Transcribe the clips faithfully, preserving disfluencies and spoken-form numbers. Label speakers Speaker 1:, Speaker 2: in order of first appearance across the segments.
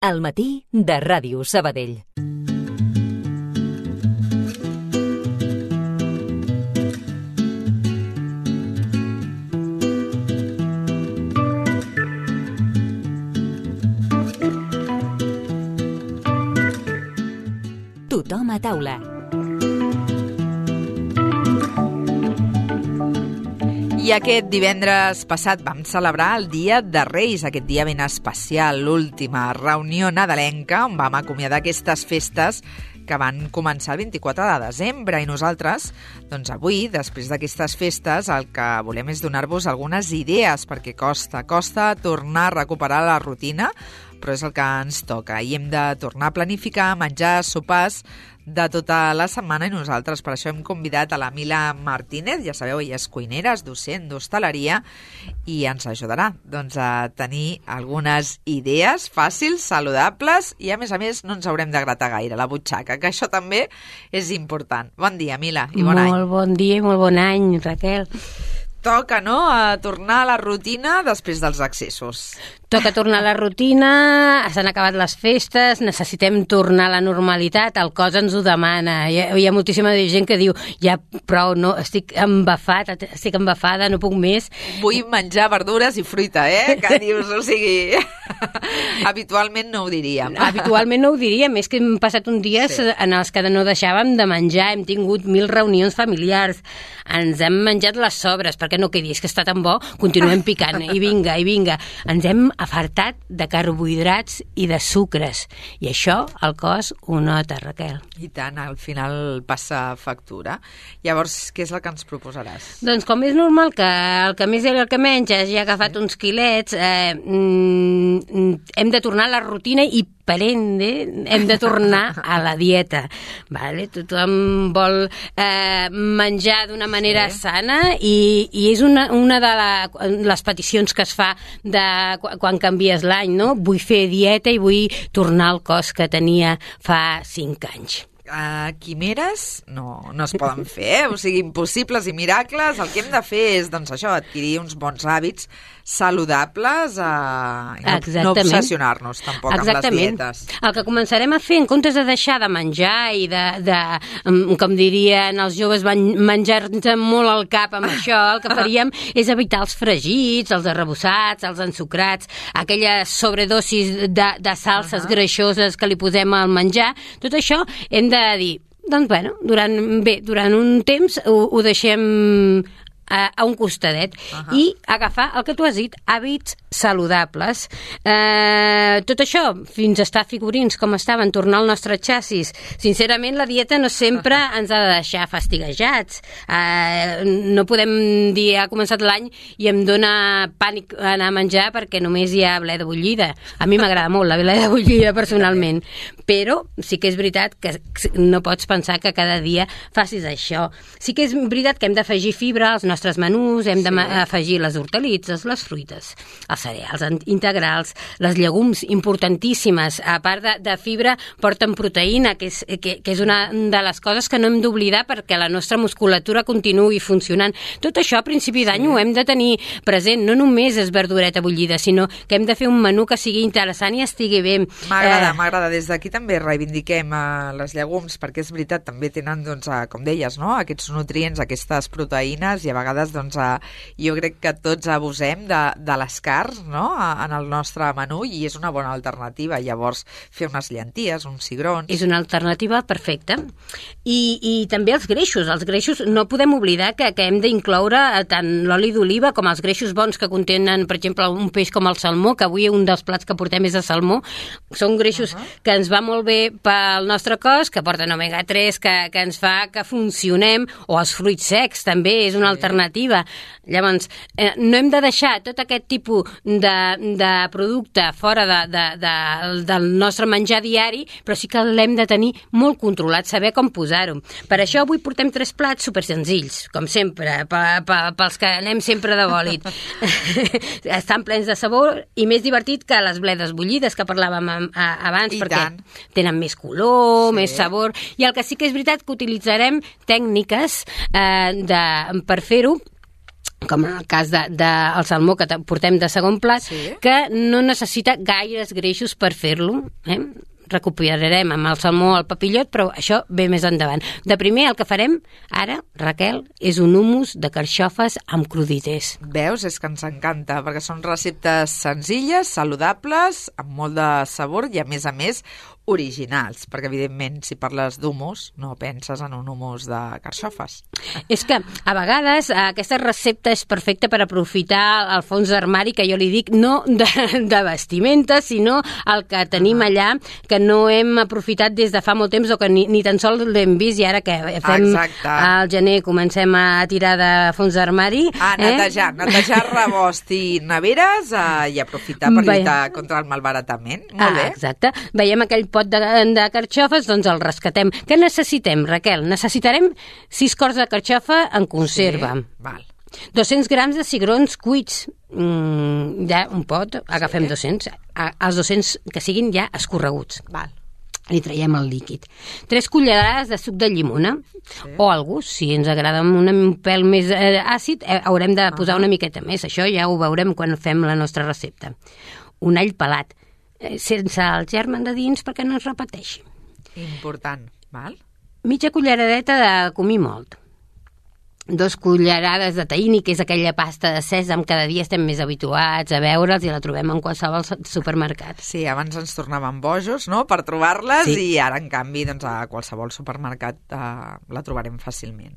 Speaker 1: Al matí de Ràdio Sabadell. Tothom a taula.
Speaker 2: I aquest divendres passat vam celebrar el Dia de Reis, aquest dia ben especial, l'última reunió nadalenca on vam acomiadar aquestes festes que van començar el vint-i-quatre de desembre i nosaltres, doncs avui, després d'aquestes festes, el que volem és donar-vos algunes idees perquè costa, costa tornar a recuperar la rutina, però és el que ens toca i hem de tornar a planificar, menjar, sopars de tota la setmana i nosaltres per això hem convidat a la Mila Martínez, ja sabeu, ella és cuinera, és docent d'hostaleria i ens ajudarà doncs, a tenir algunes idees fàcils, saludables i a més a més no ens haurem de gratar gaire la butxaca, que això també és important. Bon dia, Mila, i bon
Speaker 3: molt
Speaker 2: any.
Speaker 3: Molt bon dia i molt bon any, Raquel.
Speaker 2: Toca, no?, a tornar a la rutina després dels excessos.
Speaker 3: Toca tornar a la rutina, s'han acabat les festes, necessitem tornar a la normalitat, el cos ens ho demana. Hi ha, hi ha moltíssima gent que diu, ja prou, no, estic embafat, estic embafada, no puc més.
Speaker 2: Vull menjar verdures i fruita, eh? Que dius, o sigui, habitualment no ho diríem.
Speaker 3: Habitualment no ho diríem, és que hem passat uns dies sí. en els que no deixàvem de menjar, hem tingut mil reunions familiars, ens hem menjat les sobres, perquè no quedi, és que està tan bo, continuem picant, i vinga, i vinga. Ens hem afartat de carbohidrats i de sucres. I això el cos ho nota, Raquel.
Speaker 2: I tant, al final passa factura. Llavors, què és el que ens proposaràs?
Speaker 3: Doncs com és normal que el que més i el que menys hagi agafat sí. uns quilets, eh, mm, hem de tornar a la rutina i per ende hem de tornar a la dieta. Vale? Tothom vol eh, menjar d'una manera sí. sana i, i és una, una de la, les peticions que es fa de quan canvies l'any, no? Vull fer dieta i vull tornar al cos que tenia fa cinc anys.
Speaker 2: Uh, quimeres no, no es poden fer, eh? O sigui, impossibles i miracles. El que hem de fer és, doncs això, adquirir uns bons hàbits saludables uh, i no, no obsessionar-nos tampoc
Speaker 3: Exactament.
Speaker 2: amb les dietes.
Speaker 3: El que començarem a fer, en comptes de deixar de menjar i de, de com dirien els joves, menjar-nos molt al cap amb això, el que faríem és evitar els fregits, els arrebossats, els ensucrats, aquelles sobredosis de, de salses uh-huh. greixoses que li posem al menjar. Tot això hem de dir, doncs bueno, durant, bé, durant un temps ho, ho deixem a, a un costadet uh-huh. i agafar el que tu has dit, hàbits saludables. Eh, tot això, fins a estar figurins com estaven, tornar al nostre xassis. Sincerament, la dieta no sempre uh-huh. ens ha de deixar fastiguejats. Eh, no podem dir, ha començat l'any i em dóna pànic anar a menjar perquè només hi ha bleda bullida. A mi m'agrada molt la bleda bullida personalment, però sí que és veritat que no pots pensar que cada dia facis això. Sí que és veritat que hem d'afegir fibra als nostres menús, hem d'afegir les hortalisses, les fruites, els cereals integrals, les llegums importantíssimes, a part de, de fibra porten proteïna, que és, que, que és una de les coses que no hem d'oblidar perquè la nostra musculatura continuï funcionant. Tot això a principi d'any sí. ho hem de tenir present, no només és verdureta bullida, sinó que hem de fer un menú que sigui interessant i estigui bé.
Speaker 2: M'agrada, eh... m'agrada. Des d'aquí també reivindiquem uh, les llegums, perquè és veritat, també tenen, doncs, uh, com deies, no? Aquests nutrients, aquestes proteïnes, i a vegades, doncs, uh, jo crec que tots abusem de, de les carns, no? En el nostre menú i és una bona alternativa. Llavors, fer unes llenties, uns cigrons...
Speaker 3: És una alternativa perfecta. I, i també els greixos. Els greixos no podem oblidar que, que hem d'incloure tant l'oli d'oliva com els greixos bons que contenen, per exemple, un peix com el salmó, que avui un dels plats que portem és de salmó. Són greixos uh-huh. que ens va molt bé pel nostre cos, que porten omega tres, que, que ens fa que funcionem, o els fruits secs també és una sí. alternativa. Llavors, eh, no hem de deixar tot aquest tipus de, de producte fora de, de, de, del nostre menjar diari, però sí que l'hem de tenir molt controlat, saber com posar-ho. Per això avui portem tres plats super senzills, com sempre, pels que anem sempre de bòlit. Estan plens de sabor i més divertit que les bledes bullides que parlàvem abans,
Speaker 2: I
Speaker 3: perquè
Speaker 2: tant.
Speaker 3: tenen més color,
Speaker 2: sí.
Speaker 3: més sabor, i el que sí que és veritat que utilitzarem tècniques eh, de, per fer-ho com en el cas del de, de salmó que portem de segon plat,
Speaker 2: sí.
Speaker 3: que no necessita gaires greixos per fer-lo. Eh? Recuperarem amb el salmó el papillot, però això ve més endavant. De primer, el que farem ara, Raquel, és un hummus de carxofes amb crudités.
Speaker 2: Veus? És que ens encanta, perquè són receptes senzilles, saludables, amb molt de sabor i, a més a més, originals, perquè, evidentment, si parles d'humus, no penses en un hummus de carxofes.
Speaker 3: És que, a vegades, aquesta recepta és perfecta per aprofitar el fons d'armari, que jo li dic, no de, de vestimenta, sinó el que tenim allà, que no hem aprofitat des de fa molt temps, o que ni, ni tan sols l'hem vist, i ara que fem
Speaker 2: Exacte.
Speaker 3: al gener comencem a tirar de fons d'armari...
Speaker 2: A netejar, eh? netejar rebost i neveres eh, i aprofitar per lluitar Ve... contra el malbaratament. Molt
Speaker 3: ah,
Speaker 2: bé.
Speaker 3: Exacte. Veiem aquell pot de, de carxofes, doncs el rescatem. Què necessitem, Raquel? Necessitarem sis quarts de carxofa en conserva.
Speaker 2: Sí, val.
Speaker 3: dos-cents grams de cigrons cuits. Mm, ja un pot, agafem sí. dos-cents. Els dos-cents que siguin ja escorreguts.
Speaker 2: Val.
Speaker 3: Li traiem el líquid. Tres cullerades de suc de llimona, sí. o al gust, si ens agrada un pèl més eh, àcid, eh, haurem de posar uh -huh. una miqueta més. Això ja ho veurem quan fem la nostra recepta. Un all pelat, eh, sense el germen de dins perquè no es repeteixi.
Speaker 2: Important, val?
Speaker 3: Mitja culleradeta de comí molt. Dos cullerades de tahini, que és aquella pasta de sèsam, cada dia estem més habituats a veure'ls i la trobem en qualsevol supermercat.
Speaker 2: Sí, abans ens tornàvem bojos, no?, per trobar-les, sí. i ara, en canvi, doncs, a qualsevol supermercat eh, la trobarem fàcilment.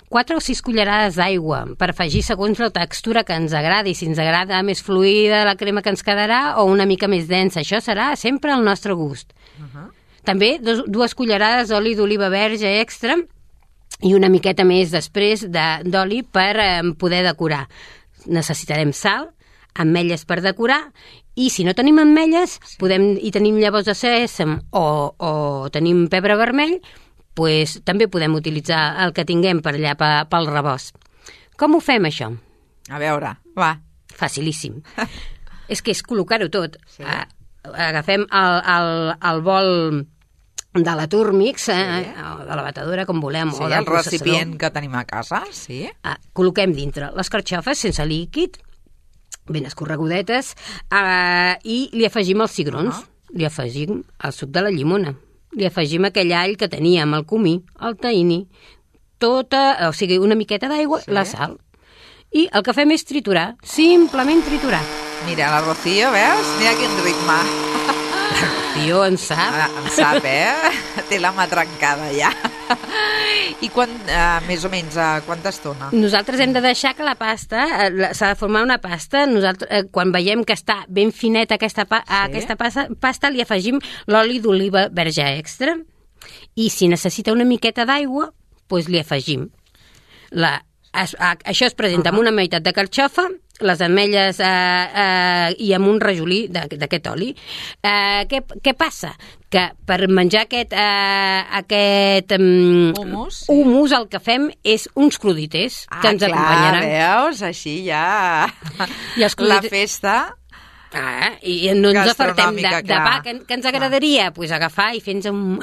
Speaker 3: Quatre o sis cullerades d'aigua per afegir segons la textura que ens agradi, si ens agrada més fluida la crema que ens quedarà o una mica més densa. Això serà sempre al nostre gust. Uh -huh. També dos, dues cullerades d'oli d'oliva verge extra i una miqueta més després d'oli per eh, poder decorar. Necessitarem sal, ametlles per decorar, i si no tenim ametlles sí. podem, i tenim llavors de sèsam o, o tenim pebre vermell, pues, també podem utilitzar el que tinguem per allà pel rebost. Com ho fem, això?
Speaker 2: A veure, va.
Speaker 3: Facilíssim. És que és col·locar-ho tot. Sí. Agafem el, el, el bol de la Turmix, eh, sí. o de la batedora, com volem,
Speaker 2: sí,
Speaker 3: o del
Speaker 2: el recipient que tenim a casa, sí.
Speaker 3: Ah, col·loquem dintre les carxofes sense líquid, ben escorregudetes, eh, i li afegim els cigrons, uh -huh. li afegim el suc de la llimona, li afegim aquell all que teníem, el comí, el tahini, tota, o sigui, una miqueta d'aigua, sí. la sal. I el que fem és triturar, simplement triturar.
Speaker 2: Mira, la Rocío, veus? Mira quin ritme.
Speaker 3: Rocío en sap.
Speaker 2: Ah, en sap, eh? Té la mà trencada, ja. I quan, uh, més o menys, uh, quanta estona?
Speaker 3: Nosaltres hem de deixar que la pasta, eh, s'ha de formar una pasta, nosaltres, eh, quan veiem que està ben fineta aquesta, pa sí. aquesta pasta, pasta, li afegim l'oli d'oliva verge extra, i si necessita una miqueta d'aigua, doncs li afegim. La, es, a, això es presenta uh -huh. amb una meitat de carxofa, les ametlles eh, eh, i amb un rajolí d'aquest oli. Eh, què, què passa? Que per menjar aquest, eh, aquest um,
Speaker 2: humus, sí.
Speaker 3: humus el que fem és uns crudités
Speaker 2: ah,
Speaker 3: que ens
Speaker 2: clar,
Speaker 3: acompanyaran.
Speaker 2: Veus? Així ja I els la festa...
Speaker 3: Ah, i no ens apartem de, de pa. Que, que ens agradaria? Doncs pues agafar i fer-nos un,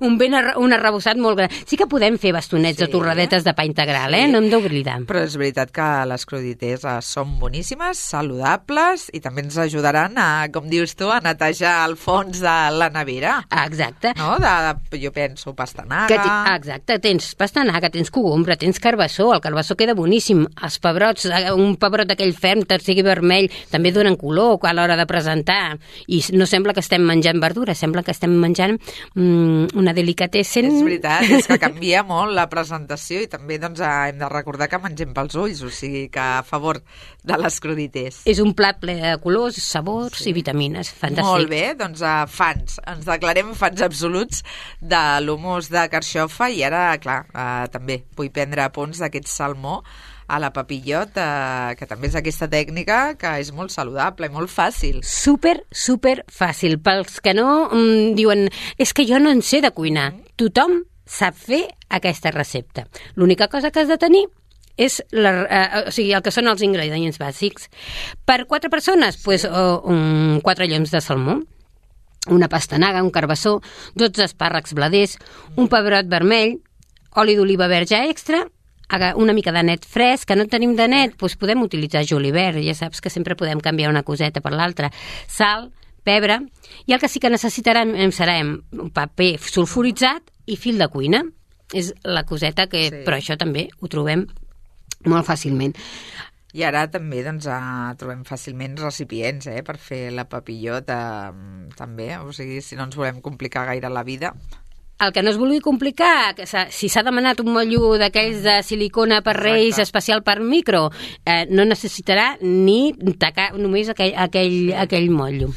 Speaker 3: un, ben arre, un arrebossat molt gran. Sí que podem fer bastonets sí. de torradetes de pa integral, sí. eh? No hem d'oblidar.
Speaker 2: Però és veritat que les crudités són boníssimes, saludables, i també ens ajudaran a, com dius tu, a netejar el fons de la nevera.
Speaker 3: Ah, exacte.
Speaker 2: No? De, de, jo penso pastanaga...
Speaker 3: Que exacte, tens pastanaga, tens cogombre, tens carbassó, el carbassó queda boníssim, els pebrots, un pebrot d'aquell ferm, que sigui vermell, també donen color a l'hora de presentar, i no sembla que estem menjant verdura, sembla que estem menjant mm, una delicatessen.
Speaker 2: És veritat, és que canvia molt la presentació, i també doncs, hem de recordar que mengem pels ulls, o sigui que a favor de les crudités.
Speaker 3: És un plat ple de colors, sabors sí. i vitamines, fantàstic.
Speaker 2: Molt bé, doncs uh, fans, ens declarem fans absoluts de l'humus de carxofa, i ara, clar, uh, també vull prendre apunts d'aquest salmó a la papillot, eh, que també és aquesta tècnica que és molt saludable i molt fàcil.
Speaker 3: Super, super fàcil. Pels que no mm, diuen, és que jo no en sé de cuinar. Mm. Tothom sap fer aquesta recepta. L'única cosa que has de tenir és la, eh, o sigui, el que són els ingredients bàsics. Per quatre persones, sí. pues, oh, um, quatre lloms de salmó, una pastanaga, un carbassó, dotze espàrrecs bladers, mm. un pebrot vermell, oli d'oliva verge extra, una mica de net fresc, que no tenim de net, doncs podem utilitzar julivert, ja saps que sempre podem canviar una coseta per l'altra, sal, pebre, i el que sí que necessitarem serà un paper sulfuritzat i fil de cuina. És la coseta que... Sí. Però això també ho trobem molt fàcilment.
Speaker 2: I ara també doncs, uh, trobem fàcilment recipients eh, per fer la papillot uh, també, o sigui, si no ens volem complicar gaire la vida.
Speaker 3: El que no es vulgui complicar, que si s'ha demanat un motllo d'aquells de silicona per Reis Exacte. Especial per micro, eh, no necessitarà ni tacar només aquell, aquell, sí. aquell motllo.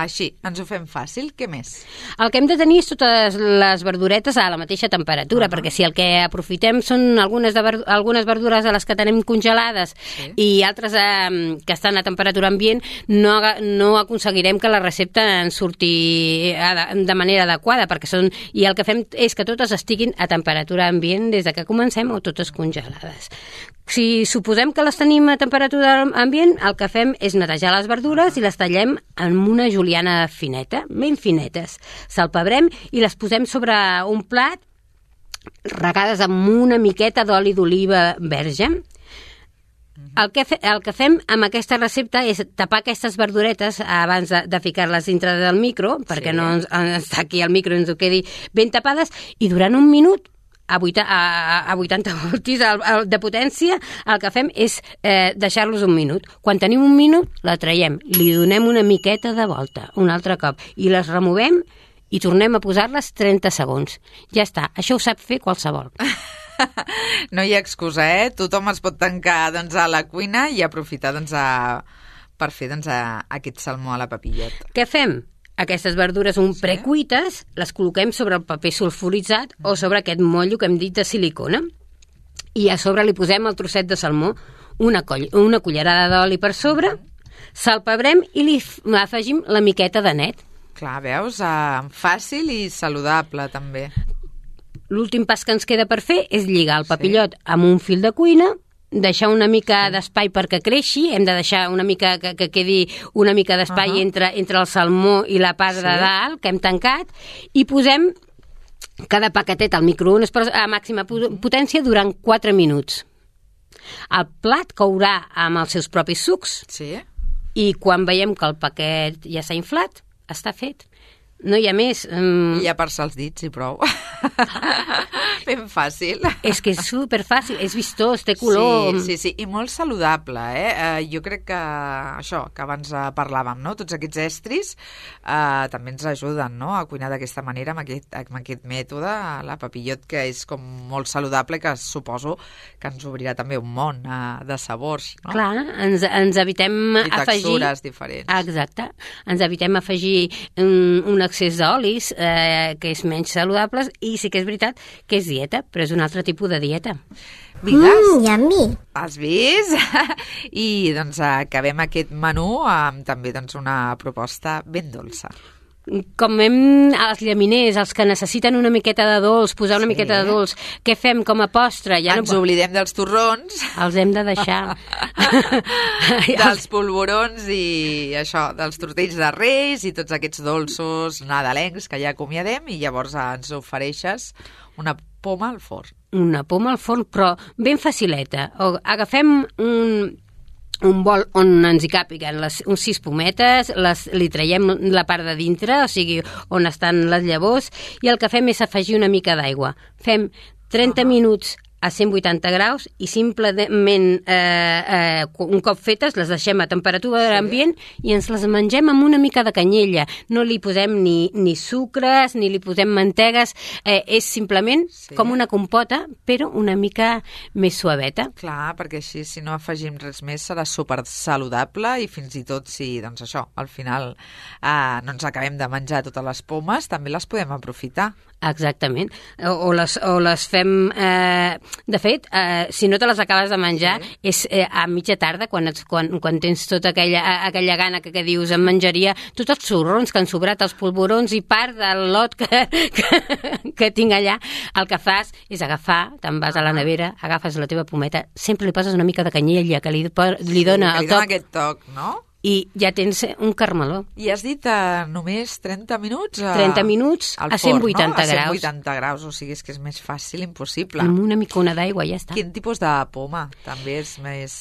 Speaker 2: Així, ens ho fem fàcil. Què més?
Speaker 3: El que hem de tenir és totes les verduretes a la mateixa temperatura, uh-huh. perquè si el que aprofitem són algunes, de ver algunes verdures de les que tenim congelades sí. i altres eh, que estan a temperatura ambient, no, no aconseguirem que la recepta ens surti de manera adequada, perquè són... I el que fem és que totes estiguin a temperatura ambient des de que comencem o totes congelades. Si suposem que les tenim a temperatura ambient, el que fem és netejar les verdures i les tallem en una juliana fineta, ben finetes. Salpebrem i les posem sobre un plat regades amb una miqueta d'oli d'oliva verge. El que, fe, el que fem amb aquesta recepta és tapar aquestes verduretes abans de, de ficar-les dintre del micro, perquè sí. no ens, ens aquí al micro ens ho quedi ben tapades, i durant un minut a vuitanta voltis de potència, el que fem és eh, deixar-los un minut. Quan tenim un minut, la traiem, li donem una miqueta de volta, un altre cop, i les removem i tornem a posar-les trenta segons. Ja està, això ho sap fer qualsevol.
Speaker 2: No hi ha excusa, eh? Tothom es pot tancar doncs, a la cuina i aprofitar doncs, a... per fer doncs, a... aquest salmó a la papillot.
Speaker 3: Què fem? Aquestes verdures un sí. precuites les col·loquem sobre el paper sulfuritzat mm. o sobre aquest motllo que hem dit de silicona. I a sobre li posem el trosset de salmó, una, coll una cullerada d'oli per sobre, salpebrem i li afegim la miqueta de net.
Speaker 2: Clar, veus? Uh, fàcil i saludable, també.
Speaker 3: L'últim pas que ens queda per fer és lligar el papillot sí. amb un fil de cuina, deixar una mica d'espai perquè creixi, hem de deixar una mica que, que quedi una mica d'espai uh-huh. entre, entre el salmó i la part sí. de dalt que hem tancat, i posem cada paquetet al microones a màxima potència durant quatre minuts. El plat courà amb els seus propis sucs
Speaker 2: sí.
Speaker 3: i quan veiem que el paquet ja s'ha inflat, està fet. No hi ha més. Um...
Speaker 2: I ja per-se els dits i prou. Ben fàcil.
Speaker 3: És que és superfàcil, és vistós, té color...
Speaker 2: Sí, sí, sí, i molt saludable, eh? Uh, jo crec que això, que abans uh, parlàvem, no? Tots aquests estris uh, també ens ajuden, no?, a cuinar d'aquesta manera, amb aquest, amb aquest mètode, la papillot, que és com molt saludable, que suposo que ens obrirà també un món uh, de sabors, no?
Speaker 3: Clar, ens, ens evitem
Speaker 2: I
Speaker 3: afegir...
Speaker 2: I textures diferents.
Speaker 3: Exacte. Ens evitem afegir un, un excés d'olis, eh, que és menys saludable, i sí que és veritat que és dieta, però és un altre tipus de dieta.
Speaker 2: Vigues?
Speaker 4: Mm, yummy.
Speaker 2: Has vist? I doncs acabem aquest menú amb també doncs, una proposta ben dolça.
Speaker 3: Com hem, els llaminers, els que necessiten una miqueta de dolç, posar una sí. miqueta de dolç, què fem com a postre? Ja
Speaker 2: Ens no... oblidem dels torrons.
Speaker 3: Els hem de deixar.
Speaker 2: Dels polvorons i això, dels tortells de Reis i tots aquests dolços nadalencs que ja acomiadem, i llavors ens ofereixes una poma al forn.
Speaker 3: Una poma al forn, però ben facileta. O agafem un... un bol on ens hi càpiguen les, uns sis pometes, les, li traiem la part de dintre, o sigui, on estan les llavors, i el que fem és afegir una mica d'aigua. Fem trenta uh-huh. minuts a cent vuitanta graus i simplement eh, eh, un cop fetes les deixem a temperatura sí. ambient i ens les mengem amb una mica de canyella. No li posem ni, ni sucres, ni li posem mantegues, eh, és simplement sí. com una compota, però una mica més suaveta.
Speaker 2: Clar, perquè així si no afegim res més serà super saludable, i fins i tot si, doncs això, al final eh, no ens acabem de menjar totes les pomes, també les podem aprofitar.
Speaker 3: Exactament. O, o, les, o les fem... Eh, de fet, eh, si no te les acabes de menjar, sí. és eh, a mitja tarda, quan, ets, quan, quan tens tota aquella, aquella gana que, que dius em menjaria, tots els sorrons que han sobrat, els polvorons i part del lot que, que, que tinc allà, el que fas és agafar, te'n vas a la nevera, agafes la teva pometa, sempre li poses una mica de canyella, que li, li dona
Speaker 2: sí, que
Speaker 3: el
Speaker 2: li
Speaker 3: toc.
Speaker 2: dona aquest toc, no?
Speaker 3: i ja tens un carmeló.
Speaker 2: I has dit uh, només trenta minuts? Uh,
Speaker 3: trenta minuts a cent vuitanta
Speaker 2: no?
Speaker 3: graus.
Speaker 2: A cent vuitanta graus, o sigui, és que és més fàcil impossible.
Speaker 3: Amb una micona d'aigua ja està.
Speaker 2: Quin tipus de poma també és més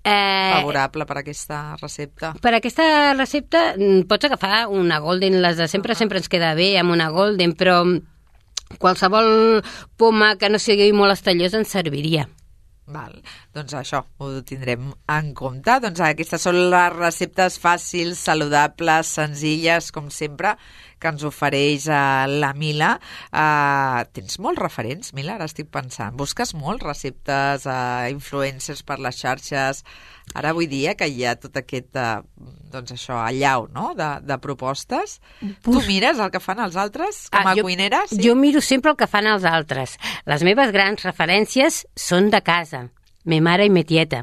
Speaker 3: eh,
Speaker 2: favorable per a aquesta recepta?
Speaker 3: Per aquesta recepta pots agafar una golden, les de sempre, uh-huh. sempre ens queda bé amb una golden, però qualsevol poma que no sigui molt estallosa ens serviria.
Speaker 2: Val. Doncs això ho tindrem en compte. Doncs aquestes són les receptes fàcils, saludables, senzilles, com sempre, que ens ofereix uh, la Mila. Uh, tens molts referents, Mila? Ara estic pensant. Busques molts receptes, uh, influencers per les xarxes. Ara vull dir que hi ha tot aquest, uh, doncs això, allau, no?, de, de propostes. Bus... Tu mires el que fan els altres com a
Speaker 3: ah, jo,
Speaker 2: cuinera? Sí?
Speaker 3: Jo miro sempre el que fan els altres. Les meves grans referències són de casa. Me mare i me tieta,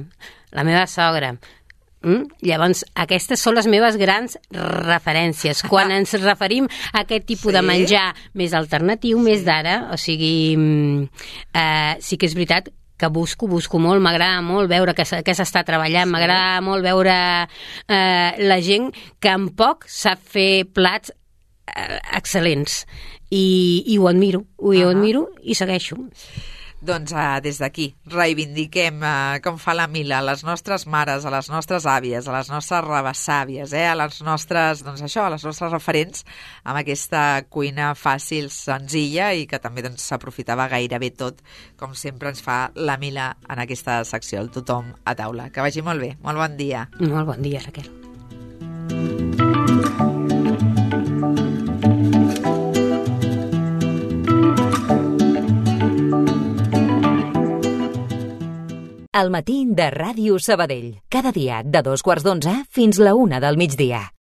Speaker 3: la meva sogra. Mm? Llavors, aquestes són les meves grans referències. Quan ens referim a aquest tipus sí? de menjar més alternatiu, sí. més d'ara, o sigui, eh, sí que és veritat que busco, busco molt, m'agrada molt veure que, que s'està treballant, sí. m'agrada molt veure eh, la gent que en poc sap fer plats eh, excel·lents. I, i ho admiro, ho uh-huh. admiro i segueixo.
Speaker 2: Doncs uh, des d'aquí reivindiquem, uh, com fa la Mila, a les nostres mares, a les nostres àvies, a les nostres rebessàvies, eh, a les nostres, doncs això, a les nostres referents amb aquesta cuina fàcil, senzilla i que també doncs, s'aprofitava gairebé tot, com sempre ens fa la Mila en aquesta secció, el Tothom a taula. Que vagi molt bé, molt bon dia.
Speaker 3: Molt bon dia, Raquel.
Speaker 1: El matí de Ràdio Sabadell. Cada dia de dos quarts d'onze fins la una del migdia.